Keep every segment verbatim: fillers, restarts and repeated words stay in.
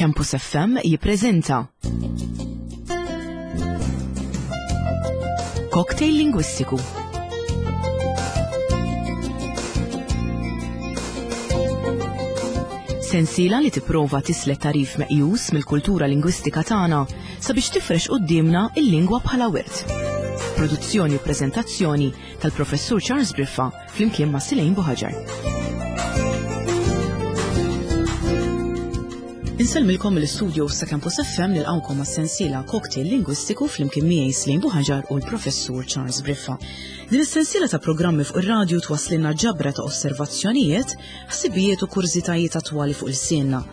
Campus F M jippreżenta Cocktail Lingwistiku. Sensiela li tipprova tislet tarif meqjus mill-kultura lingwistika tagħna sabiex tifrex quddiemna il-lingwa bħala wirt. Produzzjoni u preżentazzjoni tal-Professur Charles Briffa flimkien ma' Silejn Buħaġar. Insellmilkom mill-istudio sa' Campus F M nilqgħukom għas-sensiela Cocktail Lingwistiku flimkien miegħi Silejn Buħaġar u l-Professur Charles Briffa. Din is-sensiela ta' programmi fuq ir-radju twasslilna ġabra ta' osservazzjonijiet, ħsibijiet u kurżitajiet attwali fuq il-sienna.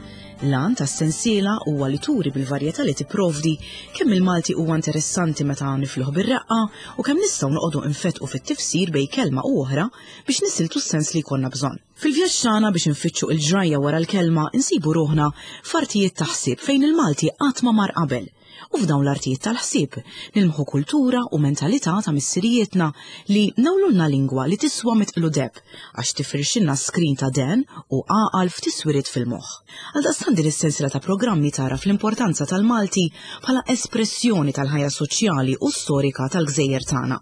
L-għan tas-sensiela huwa li turi bil-varjetà li tipprovdi kemm il-Malti huwa interessanti meta nifluh bir-reqqa u kemm nistgħu noqogħdu nfetqu fit-tifsir bejn kelma u oħra biex nisiltu s-sens li jkollna bżonn. Fil-vjaġġ tagħna biex nfittxu il-ġrajja wara l-kelma insibu ruħna f'artijiet ta' ħsieb fejn il-Malti qatt ma mar qabel. U f'dawn l-artijiet tal-ħsieb nilmħu kultura u mentalità ta' missirijietna li nawlulna lingwa li tiswa mitqlu deb għax tifirxilna skrin ta' den u għaqal f'tiswiriet fil-moħħ. Għaldaqstant din is-sensiela ta' programmi tara fl-importanza tal-Malti bħala espressjoni tal-ħajja soċjali u storika tal-gżejjer tagħna.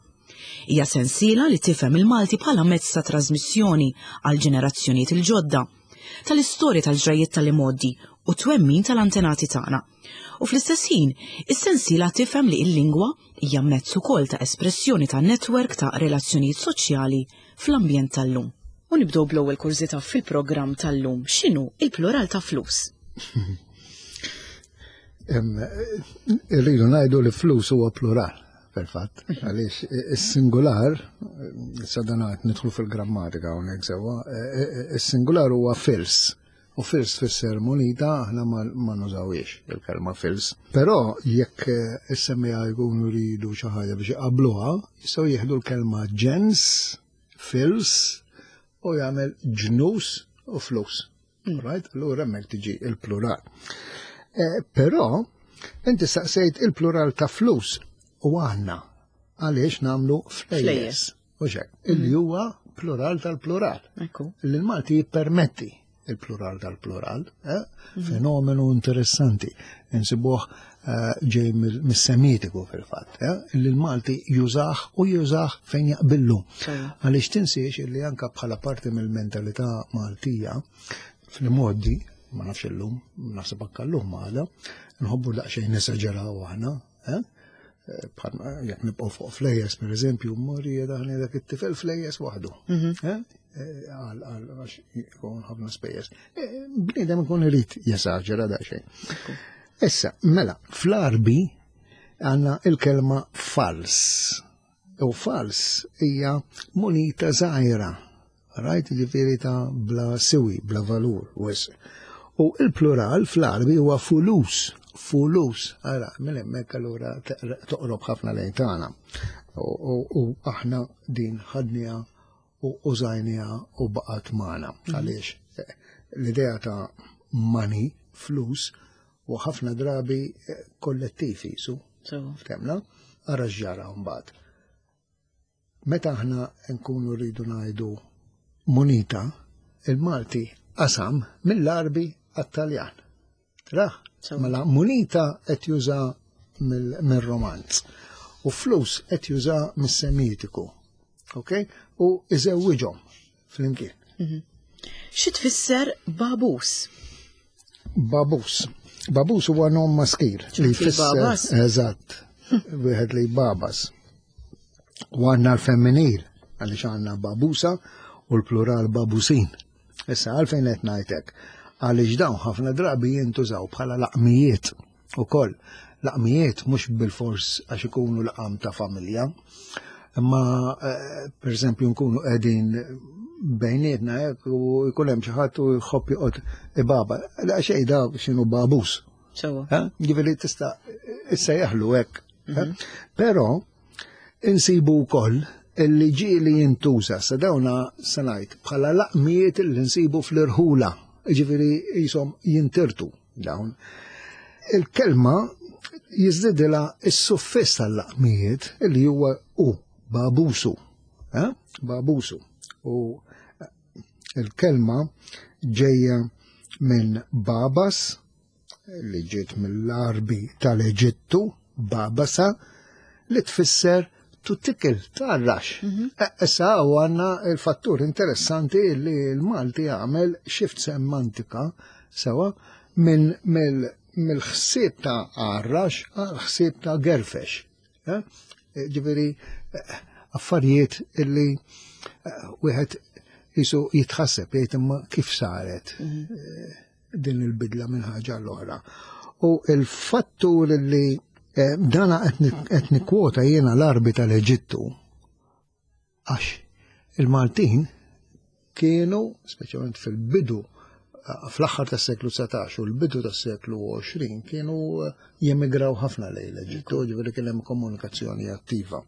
Hija sensiela li tifhem il-Malti bħala mezz ta' trasmissjoni għal ġenerazzjonijiet il-ġodda, tal-istorja tal-ġrajiet tal-imgħoddi u twemmin tal-antenati tagħna. U fl-istess ħin, is-sensiela tifhem li l-lingwa hija mezz ukoll ta' espressjoni ta' netwerk ta' relazzjonijiet soċjali fl-ambjent tal-lum. U nibdew bl-ewwel kurżità fil-programm tal-lum, x'inhu il-plural ta' flus? Irridu ngħidu li flus huwa plural, fil-fatt, għaliex is-singular, sadanat nidħlu fil-grammatika hawnhekk sewwa, is-singular huwa fils. U fils tfisser munita, aħna ma nużawiex il-kelma fils. Però jekk is-semmiegħa jkunu jridu xi ħaġa biex iqabbluha, jistgħu jieħdu l-kelma ġens, fils, u jagħmel ġnus u flus. Right? Allura hemmhekk tiġi il-plural. Però inti staqsejt il-plural ta' flus u aħna għaliex nagħmlu flejjes. U xek, illi huwa plural tal-plural. Illi l-Malti jippermetti il-plural tal-plural, eh? Fenomenu interessanti, insibuh ġej mis-semitiku fil-fatt, eh? Illi l-Malti jużah u jużah fejn jaqbillu. Għaliex tinsiex illi anka bħala parti mill-mentalità Maltija, fil-modi, ma nafx illum, naħseb anka llum għada, nħobbu daqsxejn nesaġeraw aħna, eh? Bħal jekk nibqgħu fuq flejjes, per eżempju, morri daħni dak it-tifel flejjes waħdu. Għal għax ikun ħafna spejjeż. Bniedem ikun irid jesaġera daqsxejn. Issa, mela, fl-Arbi għandna il-kelma fals. U fals hija munita żgħira. Rajt, ġifieri ta' bla siwi, bla valur, wisq. U il-plural fl-Arbi huwa fulus. Fulus, ara, minn hemmhekk allura toqrob ħafna lejn tagħna. U aħna din ħadniha u użajniha u baqgħet magħna. Għaliex l-idea ta' money, flus, u ħafna drabi kollettiv jisu. Ftemna? Ara x'ġara mbagħad. Meta aħna nkunu rridu ngħidu munita, il-Malti qasam mill-Arbi għat-Taljan. Traħ? Mela munita qed juża mill-Romanz u flus qed juża mis-Semitiku. Ok? U iżewwiġhom flimkien. Xi tfisser babus? Babus. Babus huwa nom maskil li jfisser eżatt, wieħed li babas. U għandna l-femminil għaliex għandna babusa u l-plural babusin. Issa għalfejn qed ngħidlek? Għaliex dawn ħafna drabi jintużaw bħala laqmijiet ukoll. Laqmijiet mhux bil-fors għax ikunu laqam ta' familja, imma per eżempju nkunu qegħdin bejnietna hekk u jkun hemm xi ħadd u jħobb joqgħod ibaba. La xejn da x'inhu babus. Sewwa. Ġifieri tista' issejjaħlu hekk. Però insibu wkoll illi ġieli jintuża sa dawna se ngħid bħala laqmijiet li nsibu fl-irħula. Ġifieri jisom jintirtu dawn. Il-kelma jiżdidilha s-suffiss tal-laqmijiet illi huwa u, babusu. Babusu. U il-kelma ġejja minn babas, li ġiet mill-Arbi tal-Eġittu, babasa, li tfisser to tickle, tgħarrax. Issa u għandna il-fattur interessanti li l-Malti għamel shift semantika sewa minn mill-ħsieb ta' għarrax għal ħsieb ta' gerfex. Eh? Ġifieri, eh, affarijiet illi eh, wieħed jisu jitħasseb jgħid imma kif saret eh, din il-bidla minn ħaġa l-oħra. U il-fattur li eh, dana qed nikkwota jiena l-Arbi tal-Eġittu għax il-Maltin kienu, speċjalment fil-bidu, eh, fl-aħħar tas-seklu dsatax u l-bidu tas-seklu għoxrin, kienu eh, jemigraw ħafna lejn l-Eġittu, ġifieri kien hemm komunikazzjoni attiva.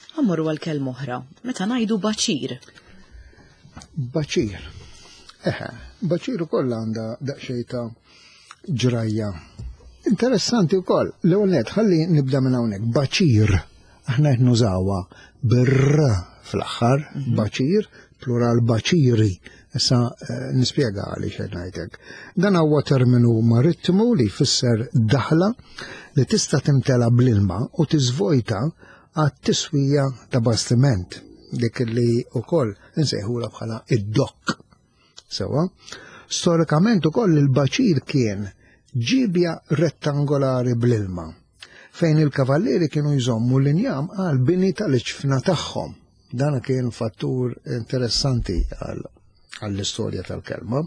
Ħa mmorru għal kelma oħra, meta ngħidu baċir. Baċir. Eħe, baċir ukoll għandha daqsxejn ta' ġrajja. Interessanti wkoll. L-ewwel nett, ħalli nibda minn hawnhekk. Baċir, aħna qed nużawha bir-r fl-aħħar, baċir, plural baċiri. Issa eh, nispjega għaliex qed ngħidlek. Dan huwa terminu marittimu li jfisser daħla li tista' timtela bl-ilma u tiżvojta għat-tiswija ta' bastiment, dik li wkoll insejħula bħala id-dokk. Sewa, storikament ukoll il-baċir kien ġibja rettangolari bl-ilma, fejn il-kavallieri kienu jżommu l-injam għal bini tal-iġfna tagħhom. Dan kien fattur interessanti għall-istorja tal-kelma.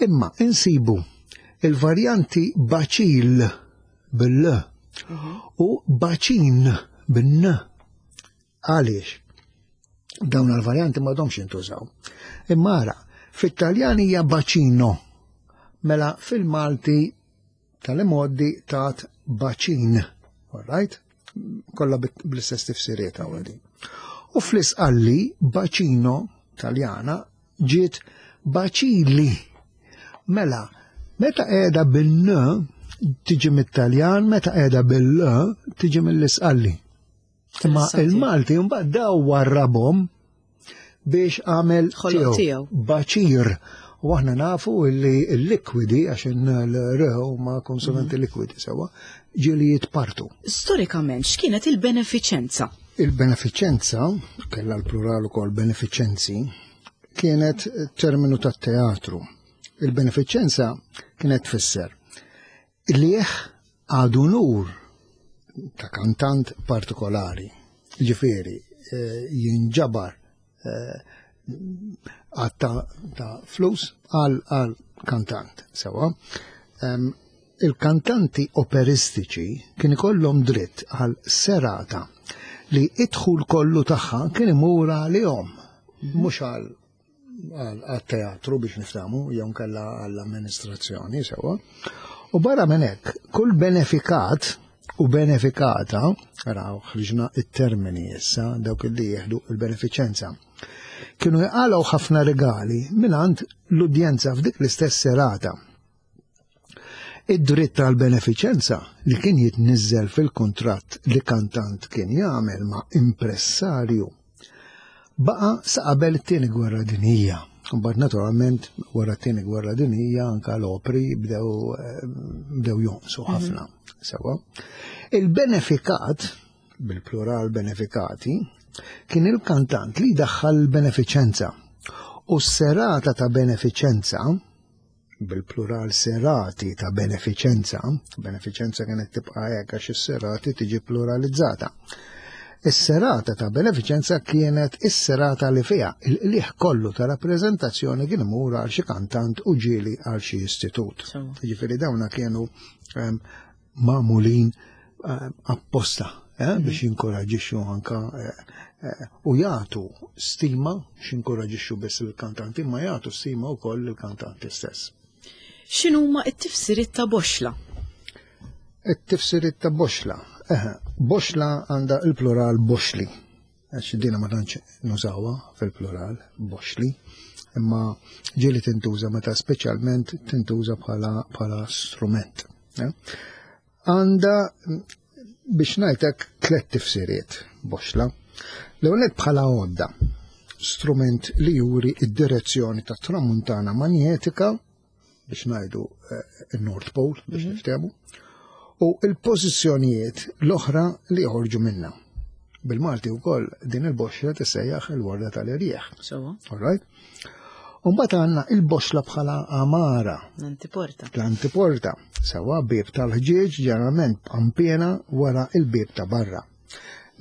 Imma insibu il-varjanti baċil bil-l u baċin bin-n. Għaliex? Dawn il-varjanti m'għadhomx jintużaw. Imma ara, fit-Taljan hija bacino, mela fil-Malti tal-imoddi tat baċin. All right? Kollha bl-istess tifsiriet għawadi. U fl-Isqalli, bacino Taljana ġiet baċili. Mela, meta qiegħda bil-n tiġi mit-Taljan, meta qiegħda bil-l tiġi mill-Isqalli. Imma il-Malti mbagħad daw warrabhom biex għamel tiegħu baċir. U aħna nafu li l-likwidi, għax l-r huma konsonanti mhm. likwidi sewa, ġieli jitpartu. Storikament, x'kienet il-benefiċenza? Il-benefiċenza, kella l-plural ukoll benefiċenzi, kienet terminu tat-teatru. Il-benefiċenza kienet tfisser liħ għadu nur ta' kantant partikolari. Ġifieri, eh, jinġabar eh, għad ta' flus għal għal kantant. Sewa. Il-kantanti operistiċi kien ikollhom dritt għal serata li id-dħul kollu tagħha kien imur għalihom, mhux għal għal teatru biex niftamu, jew kella għall-amministrazzjoni, sewa. U barra minn hekk, kull benefikat u benefikata, raw ħriġna it-termini issa, dawk li jieħdu il-benefiċenza, kienu jqalgħu ħafna regali mingħand l-udjenza f'dik l-istess serata. Id-dritt tal-benefiċenza li kien jitniżżel fil-kuntratt li kantant kien jagħmel ma' impressarju baqa sa qabel it-tieni gwerra dinjija. Mbagħad naturalment wara t-tieni gwerra dinjija anka l-opri bdew bdew jonqsu ħafna. Sewa. Il-benefikat, bil-plural benefikati, kien il-kantant li daħħal l-benefiċenza. U s-serata ta' benefiċenza, bil-plural serati ta' benefiċenza, benefiċenza kienet tibqa' hekk għax is-serati tiġi pluralizzata. Is-serata ta' benefiċenza kienet is-serata li fiha il-qliħ kollu ta' rappreżentazzjoni kien imur għal xi kantant u ġieli għal xi istitut. Ġifieri dawna kienu um, magħmulin um, apposta eh, mm -hmm. biex jinkoraġixxu anka eh, eh, u jagħtu stima, x'inkoraġixxu biss il-kantanti, ma jagħtu stima wkoll il-kantanti stess. X'inhuma t-tifsiriet ta' boxla? It-tifsiriet ta' boxla. Eħe, boxla għandha il-plural boxli. Għax dina ma tantx nużawha fil-plural, boxli, imma ġieli tintuża meta speċjalment tintuża bħala bħala strument. Għandha biex ngħidlek tliet tifsiriet boxla. L-ewwel bħala għodda, strument li juri id-direzzjoni ta' tramuntana manjetika biex ngħidu il-North Pole biex niftehmu, u il-pożizzjonijiet l-oħra li joħorġu minna. Bil-Malti wkoll din il-boxla tissejjaħ il-warda tal-irjieħ. Sewwa. All right? Umbagħad għandna il-boxla bħala amara. L-antiporta. L-antiporta. Sewwa, bieb tal-ħġieġ ġeneralment b'qanpiena wara il-bieb ta' barra.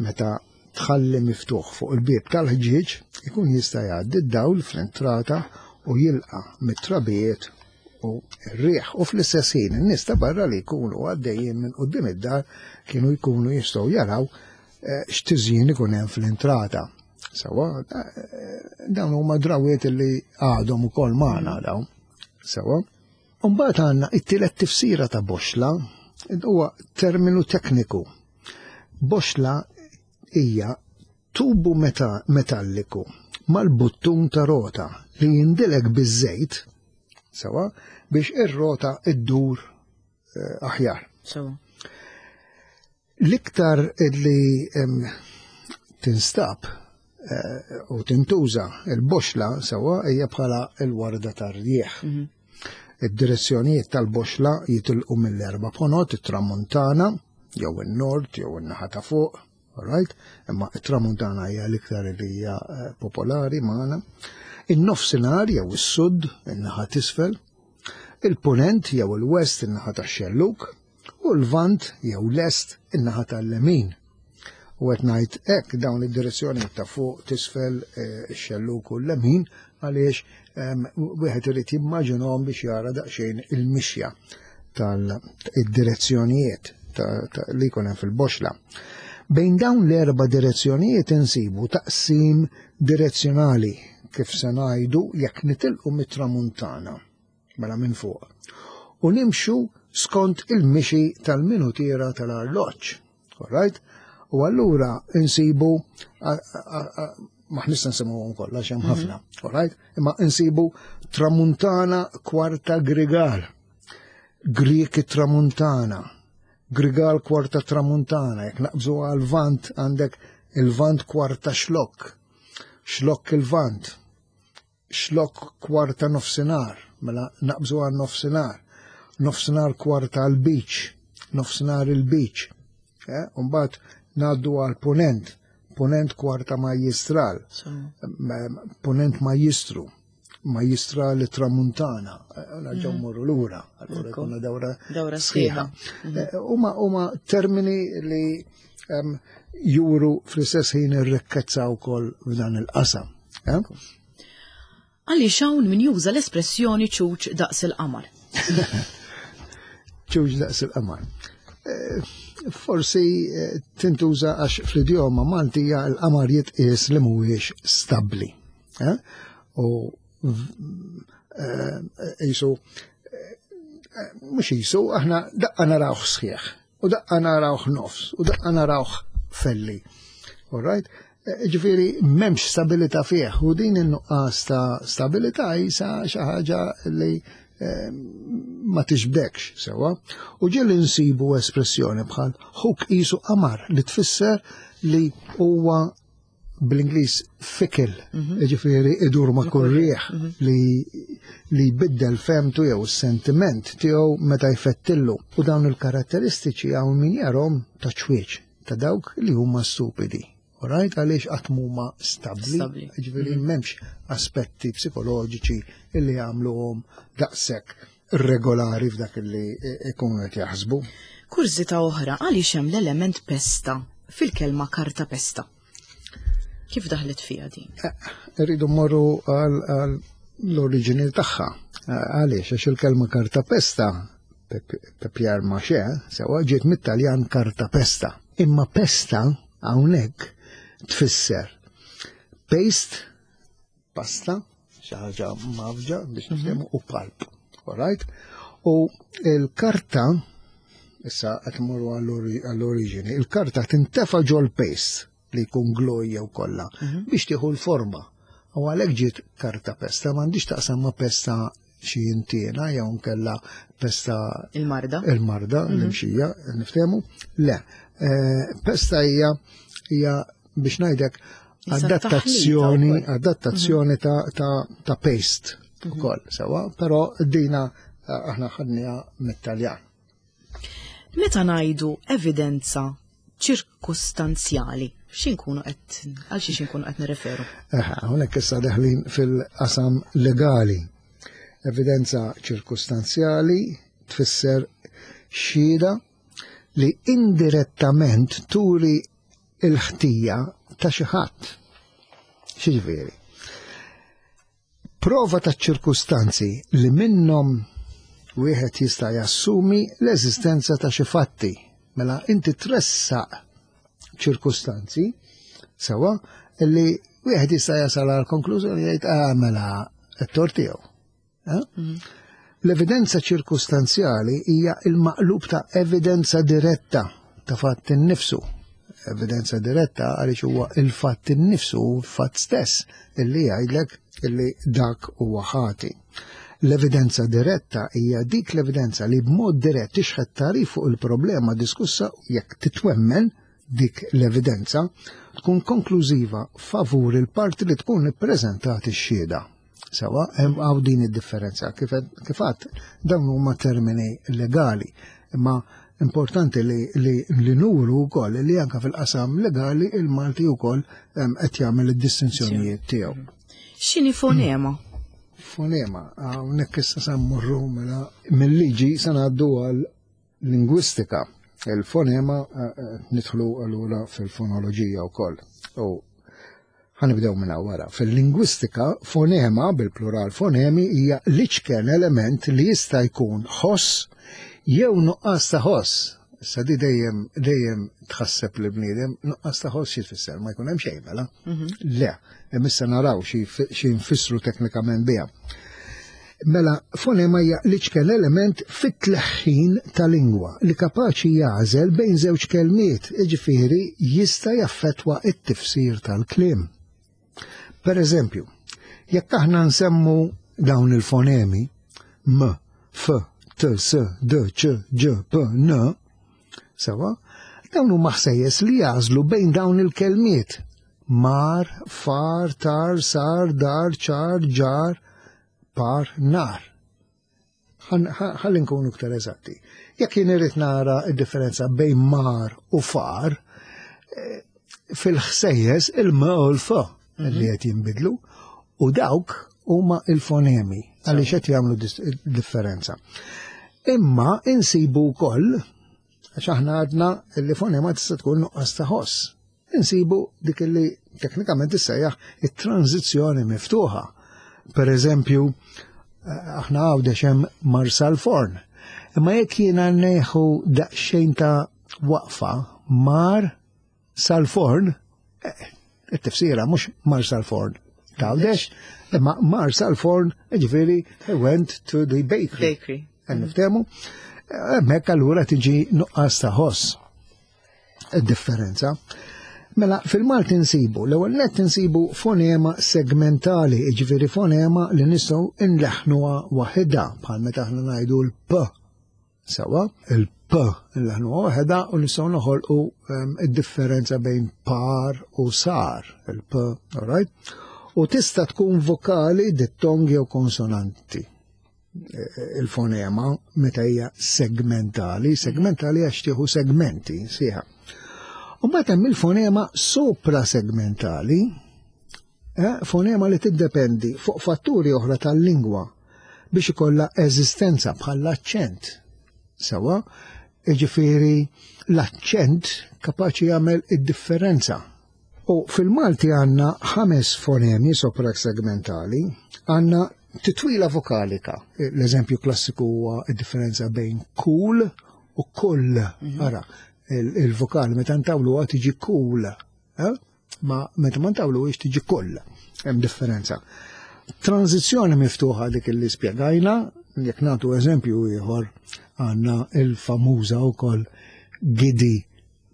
Meta tħalli miftuħ fuq il-bieb tal-ħġieġ, ikun jista' jgħaddi d-dawl fl-entrata u jilqa' mit-trabijiet u r-riħ. U fl-istess ħin in-nies ta' barra li jkunu għaddejjin minn quddiem id-dar kienu jkunu jistgħu jaraw eh, x'tiżjin ikun hemm fl-entrata. Sewwa, eh, dawn huma drawiet li għadhom ukoll magħna dawn. Sewwa. Umbagħad għandna it-tielet tifsira ta' boxla huwa terminu tekniku. Boxla hija tubu meta metalliku mal-buttun ta' rota li jindilek biż-żejt, sewwa, biex ir-rota iddur eh, aħjar. Sewwa. L-iktar li em, tinstab eh, u tintuża il-boxla, sewwa, hija bħala il-warda tar-rjieħ. Id-direzzjonijiet tal-boxla jitilqu mill-erba' ponot, it-tramuntana, jew in-nord, jew in-naħa ta' fuq, all right? Imma it-tramuntana hija l-iktar li hija eh, popolari magħna. In-nofsinhar jew is-sud, in-naħa t'isfel, il-punent jew il-west, in-naħa tax-xelluk, u l-vant jew l-est, in-naħa tal-lemin. U qed ngħid hekk dawn id-direzzjoni ta' fuq, t'isfel, eh, ix-xelluk u l-lemin, għaliex em, wieħed irid jimmaġinhom biex jara daqsxejn il-mixja tal-direzzjonijiet li jkun hemm fil-boxla. Bejn dawn l-erba' direzzjonijiet insibu taqsim direzzjonali, kif se ngħidu jekk nitilqu mit-tramuntana, mela minn fuq, u nimxu skont il-mixi tal-minutiera tal-arloġġ. All right? U allura insibu, ma nista' nsemmuhom kollha x'hemm ħafna, all right? Imma insibu tramuntana kwarta grigal, Grieg tramuntana, grigal kwarta tramuntana, jekk naqbżu għal vant għandek il-vant kwarta xlok, xlok il-vant, xlok kwarta nofsinhar, mela naqbżu għal nofsinhar, nofsinhar kwarta għal-beach, nofsinhar il-beach, eh? Umbagħad ngħaddu għal ponent, ponent kwarta majjistral, punent majjistru, majjistral tramuntana, nerġgħu mmorru lura, allura jkollna dawra Dawra sħiħa. Huma huma termini li em, juru fl-istess ħin ir-rikkezza wkoll f'dan il-qasam. eh? Għaliex hawn min juża l-espressjoni ċuċ daqs il-qamar? Ċuċ daqs il-qamar. Eh, Forsi eh, tintuża għax fl-idjoma Maltija l-qamar jitqies li mhuwiex stabbli. eh? U eh, jisu, mhux jisu, aħna daqqa narawh sħiħ, u daqqa narawh nofs, u daqqa narawh felli. All right? Ġifieri, m'hemmx stabilità fih, u din in-nuqqas ta' stabilità jisa xi ħaġa li eh, ma tixbdekx sewwa. U ġieli nsibu espressjoni bħal ħuk qisu qamar, li tfisser li huwa bl-Ingliż fickle, ġifieri idur ma' kull rieħ, li li jbiddel femtu jew sentiment tiegħu meta jfettillu. U dawn il-karatteristiċi hawn min jarahom ta' ċwieċ, ta' dawk li huma stupidi. Alright, għaliex qatt huma stabbli, Stabbli. Ġifieri m'hemmx aspetti psikoloġiċi illi jagħmluhom daqshekk regolari f'dak li ikunu qed jaħsbu. Kurżità oħra, għaliex hemm l-element pesta fil-kelma karta pesta? Kif daħlet fiha din? Irridu mmorru għal għal l-oriġini tagħha. Għaliex, għax il-kelma karta pesta, papier mâché, sewwa, ġiet mit-Taljan karta pesta. Imma pesta hawnhekk tfisser paste, pasta, xi ħaġa mafġa biex niftehmu, u pulp. All right? U il-karta, issa qed mmorru għall-oriġini, il-karta tintefa' ġol paste li jkun glue jew kollha biex tieħu l-forma. U għalhekk ġiet karta pesta, m'għandix taqsam ma' pesta xi intiena jew nkella pesta Il-marda. Il-marda, l-imxija, niftehmu. Le, eh, pesta hija hija biex ngħidlek Issa adattazzjoni, taħlita wkoll. adattazzjoni ta', ta, ta' paste ukoll, sewwa, però dina Aħna ħadniha mit-Taljan. Meta ngħidu evidenza ċirkustanzjali, x'inkunu qed għal xiex inkunu qed nirreferu? Hawnhekk issa deħlin fil-qasam legali. Evidenza ċirkustanzjali tfisser xhieda li indirettament turi il-ħtija ta' xi ħadd. X'jiġifieri? Prova ta' ċirkustanzi li minnhom wieħed jista' jassumi l-eżistenza ta' xi fatti. Mela inti tressaq ċirkustanzi sewa li wieħed jista' jasal għal konklużjoni, jgħid, "Ah, mela t-tort tiegħu." Eh? Mhm. L-evidenza ċirkustanzjali hija il-maqlub ta' evidenza diretta ta' fatt innifsu. Evidenza diretta għaliex huwa il-fatt innifsu, fatt stess, illi jgħidlek illi dak huwa ħati. L-evidenza diretta hija dik l-evidenza li b'mod dirett tixħet tagħrif fuq il-problema diskussa. Jekk titwemmen dik l-evidenza, tkun konklużiva favur il-parti li tkun ippreżentat ix-xhieda. Sewa, hemm hawn din id-differenza. Kif għedt, dawn huma termini legali, imma importanti li, li, li nuru wkoll li anka fil-qasam legali il-Malti wkoll qed jagħmel id-distinzjonijiet tiegħu. X'inhi fonema? Fonema, hawnhekk issa sa mmorru mela mill-liġi sa ngħaddu għal lingwistika. Il-fonema, eh, eh, nidħlu allura fil-fonoloġija wkoll. U ħa nibdew minn wara. Fil-lingwistika, fonema, bil-plural fonemi, hija l-iċken element li jista' jkun ħoss jew nuqqas ta' ħoss. Issa di dejjem dejjem tħasseb li bniedem, nuqqas ta' ħoss xi tfisser? Ma jkun hemm xejn mela? Mhm. Le, issa naraw xi nfissru teknikament biha. Mela, fonema hija l-iċken element fit-tleħħin ta' lingwa li kapaċi jagħżel bejn żewġ kelmiet, jiġifieri jista' jaffettwa it-tifsir tal-kliem. Per eżempju, jekk aħna nsemmu dawn il-fonemi M, F, T, S, D, C, Ġ, P, N, sewa, dawn huma ħsejjes li jagħżlu bejn dawn il-kelmiet. Mar, far, tar, sar, dar, ċar, ġar, par, nar. Ħalli nkunu iktar eżatti. Jekk jien irrid nara d-differenza bejn mar u far, eh, fil-ħsejjes il-m u l-f li qed jinbidlu u dawk huma il-fonemi għaliex qed jagħmlu differenza. Imma insibu wkoll, għax aħna għadna li fonema tista' tkun nuqqas ta' ħoss. Insibu dik li teknikament issejjaħ it-tranzizzjoni miftuħa. Per eżempju, eh, aħna Għawdex hemm Marsalforn. Imma jekk jiena neħu daqsxejn ta' waqfa, mar sal-forn, eh, it-tifsira mhux mar sal-forn t'Għawdex, imma mar sal-forn, ġifieri, he went to the bakery. Bakery. Niftehmu? Hemmhekk allura tiġi nuqqas ta' ħoss. Differenza. Mela, fil-Malti nsibu, l-ewwel nett insibu fonema segmentali, ġifieri fonema li nistgħu nleħnuha waħedha, bħal meta aħna ngħidu l-P. Sewa, il-P nleħnuha waħedha u nistgħu noħolqu ehm, id-differenza bejn par u sar, il-P, all right? U tista' tkun vokali, dittong jew konsonanti il-fonema meta hija segmentali, segmentali għax tieħu segmenti sħiħa. U mbagħad hemm il-fonema soprasegmentali, eh, fonema li tiddependi fuq fatturi oħra tal-lingwa biex ikollha eżistenza, bħal l-aċċent. Sewa, jiġifieri l-aċċent kapaċi jagħmel id-differenza. U fil-Malti għandna ħames fonemi soprasegmentali, għandna titwila vokalika. L-eżempju klassiku huwa id-differenza bejn cool u kull. Mhm. Ara, il-vokali meta ntawlu tiġi cool, eh? Ma meta ma ntawlu tiġi kull. Hemm differenza. Tranzizzjoni miftuħa, dik li spjegajna. Jekk nagħtu eżempju ieħor, għandna il-famuża wkoll gidi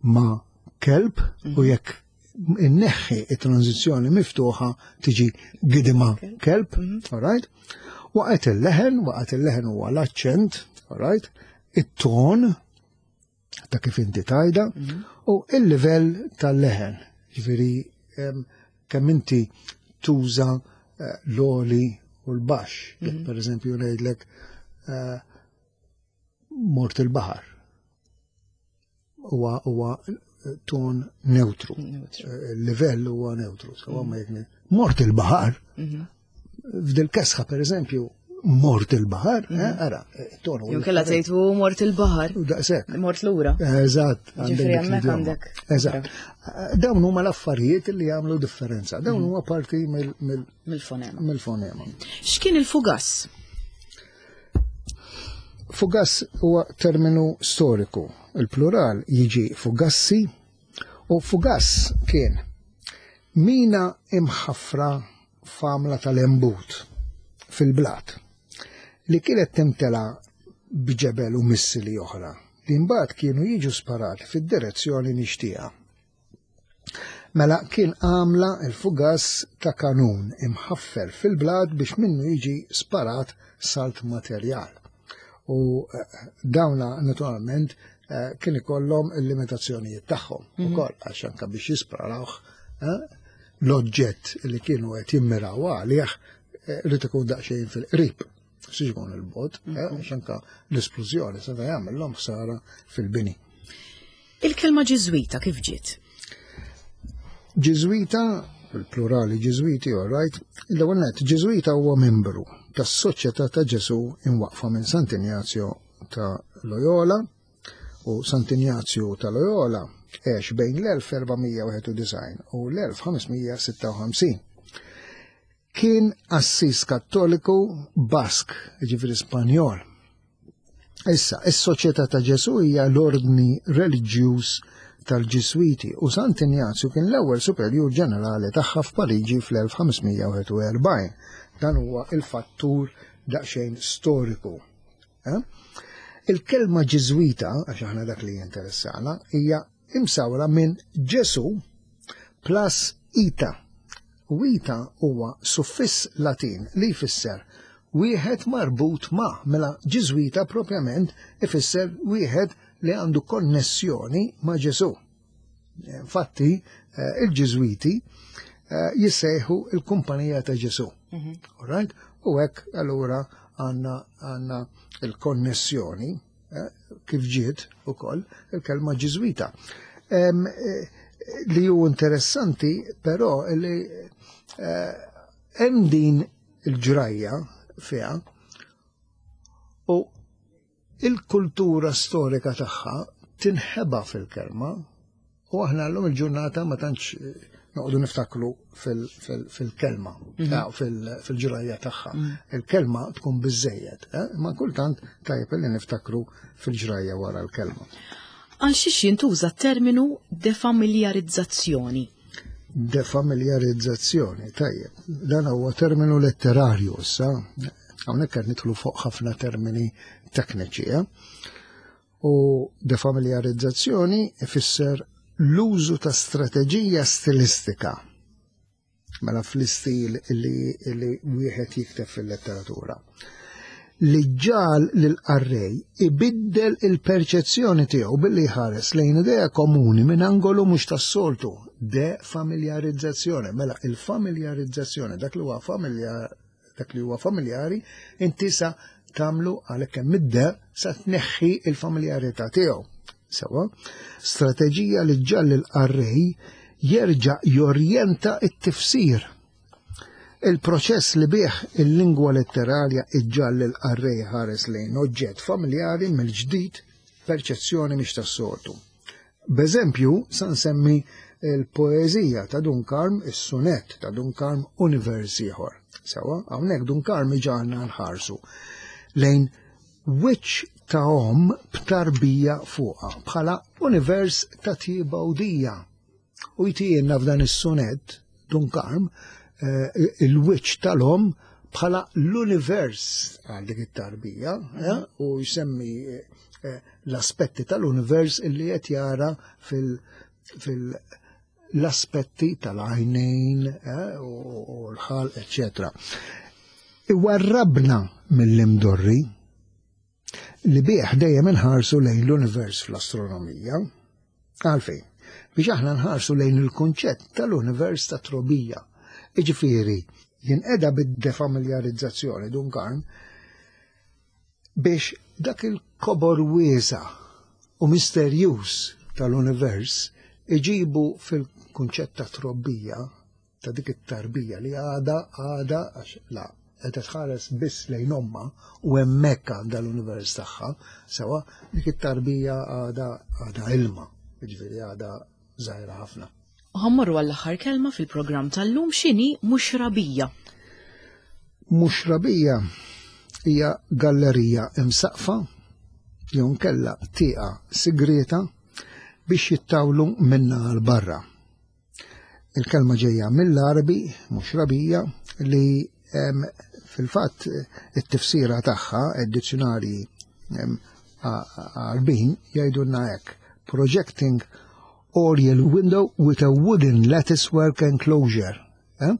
ma' kelb u mhm. jekk inneħħi it-tranzizzjoni miftuħa tiġi gidima kelb, mhm. all right? Waqgħet il-leħen, waqgħet il-leħen huwa l-aċċent, all right? It-ton ta' kif inti tgħidha mhm. u il-livell tal-leħen. Ġifieri kemm inti tuża eh, l-għoli u l-baxx. Jekk mhm. per eżempju ngħidlek eh, mort il-baħar. Huwa huwa ton neutru. Il-livell huwa neutru. Mm. Mort il-baħar, mhm. f'dil kesħa per eżempju, mort il-baħar, eh, mhm. ara, ton. Jew kella tgħid mort il-baħar. Daqshekk. Mort lura. Eżatt. Ġifieri hemmhekk għandek. Eżatt. Dawn huma l-affarijiet li jagħmlu differenza. Dawn mhm. huma parti mill-fonema. Mill-fonema. X'kien il-fugass? Fugass huwa terminu storiku. Il-plural jiġi fugassi u fugass kien mina imħaffra f'għamla tal-embut fil-blat li kienet timtela b'ġebel u missili oħra li mbagħad kienu jiġu sparati fid-direzzjoni mixtieqa. Mela kien għamla il-fugass ta' kanun imħaffer fil-blat biex minnu jiġi sparat salt materjal. U eh, dawna naturalment eh, kien ikollhom il-limitazzjonijiet tagħhom mhm. ukoll għax anke biex jisparawh eh, l-oġġett li kienu qed jimmiraw għalih li ikun daqsxejn fil-qrib. Siġbon il-bot, mhm. għax anke l-esplużjoni seta' jagħmel ħsara fil-bini. Il-kelma Ġiżwita kif ġiet? Ġiżwita, il-plurali Ġiżwiti, all right, l-ewwel nett Ġiżwita huwa membru tas-Soċjetà ta' Ġesù imwaqfa minn Sant'Injazio ta' Loyola u Sant'Injazio ta' Loyola għex bejn l-elf erba' mija wieħed u disgħin u l-elf ħames mija sitta u ħamsin. Kien qassis Kattoliku Bask, jiġifieri Spanjol. Issa, is-Soċjetà ta' Ġesù hija l-ordni reliġjuż tal-Ġiswiti u Sant'Injazju kien l-ewwel superjur ġenerali tagħha f'Pariġi fl-elf ħames mija wieħed u erbgħin. Dan huwa il-fattur daqsxejn storiku. Eh? Il-kelma Ġiżwita, għax aħna dak li jinteressana, hija imsawra minn Ġesu plus ita. U ita huwa suffiss Latin li jfisser wieħed marbut ma', mela Ġiżwita propjament ifisser wieħed li għandu konnessjoni ma' Ġesu. Infatti, eh, il-Ġiżwiti, eh, jissejħu il-Kumpanija ta' Ġesu. Mhm. All right? U hekk allura għandna, għandna il-konnessjoni, eh, kif ġiet ukoll il-kelma Ġiżwita. Em, eh, li hu interessanti però li, eh, hemm din il-ġrajja fiha u il-kultura storika tagħha tinħeba fil-kelma u aħna llum il-ġurnata ma tantx noqogħdu niftakru fil-, fil-, fil-kelma, Mhm. eh, fil-, fil-ġrajja tagħha. Mhm. Il-kelma tkun biżejjed, eh, ma kultant tajjeb li niftakru fil-ġrajja wara l-kelma. Għal xiex jintuża terminu defamiljarizzazzjoni? Defamiljarizzazzjoni, tajjeb. Dan huwa terminu letterarju issa. Hawnhekk qed nidħlu fuq ħafna termini tekniċi, eh? U defamiljarizzazzjoni ifisser l-użu ta' strateġija stilistika. Mela fl-istil li, li wieħed jikteb fil-letteratura. Li ġal lil-qarrej ibiddel il-perċezzjoni tiegħu billi jħares lejn idea komuni minn angolu mhux tas-soltu. Defamiljarizzazzjoni. Mela il-familjarizzazzjoni, dak li huwa familjar, dak li huwa familjari, inti sa tagħmlu għalhekk hemm id-de sa tneħħi il-familjarità tiegħu. Sewa, strateġija li ġall il-qarrej jerġa' jorjenta t-tifsir. Il-proċess li bih il-lingwa letterarja iġġall il-qarrej ħares lejn oġġett familjari mill-ġdid perċezzjoni mhix tas-soltu. B'eżempju, sa nsemmi il-poeżija ta' Dun Karm, is-sunett ta' Dun Karm Univers ieħor. Sewa, hawnhekk Dun Karm iġagħalna nħarsu lejn wiċċ ta' omm b'tarbija fuqha bħala univers ta' tjieba u dija. U jtijielna f'dan is-sunett Dun Karm, eh, il-wiċċ tal-omm bħala l-univers għal dik it-tarbija, eh, u jsemmi, eh, l-aspetti tal-univers illi qed jara fil-, fil l-aspetti tal-għajnejn, eh, u, u l-ħalq, eċċetera. Iwarrabna mill-imdorri li bih dejjem inħarsu lejn l-univers fl-astronomija. Għalfejn? Biex aħna nħarsu lejn il-kunċett tal-univers ta' trobija. Iġifieri, jinqeda bid-defamiljarizzazzjoni Dun Karm, Biex dak il-kobor wiesa' u misterjuż tal-univers iġibu fil-kunċett ta' trobbija, ta' dik it-tarbija li għada għada għax la qed tħares biss lejn omma u hemmhekk għandha l-univers tagħha, sewa dik it-tarbija għada għada ilma, jiġifieri għada żgħira ħafna. U ħa mmorru għall-aħħar kelma fil-programm tal-lum, x'inhi muxrabija? Muxrabija hija gallerija imsaqfa jew nkella tieqa sigreta biex jittawlu minna għal barra. Il-kelma ġejja mill-Arabi, muxrabija, li fil-fatt it-tifsira tagħha id-dizzjonarji Għarbin jgħidulna hekk: "Projecting oriel window with a wooden latticework enclosure." Eh?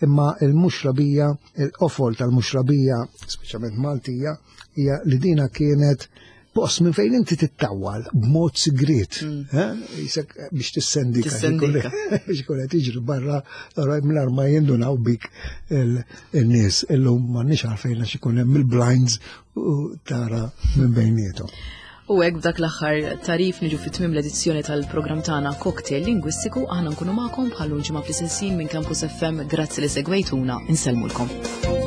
Imma il-muxrabija, il-qofol tal-muxrabija, speċjalment Maltija, hija li dina kienet post minn fejn inti tittawal b'mod sigriet, eh? Jisek biex tissendika. Tissendika. Biex ikun qed jiġri barra mingħajr ma jindunaw bik il-nies. Illum m'għandniex għalfejn għax ikun hemm il-blinds u tara minn bejniethom. U hekk b'dak l-aħħar tarif niġu fit tmiem l-edizzjoni tal-programm tagħna Cocktail Lingwistiku. Aħna nkunu magħkom bħal ġimgħa fl-istess ħin minn Campus F M. Grazzi li segwejtuna, insellmulkom.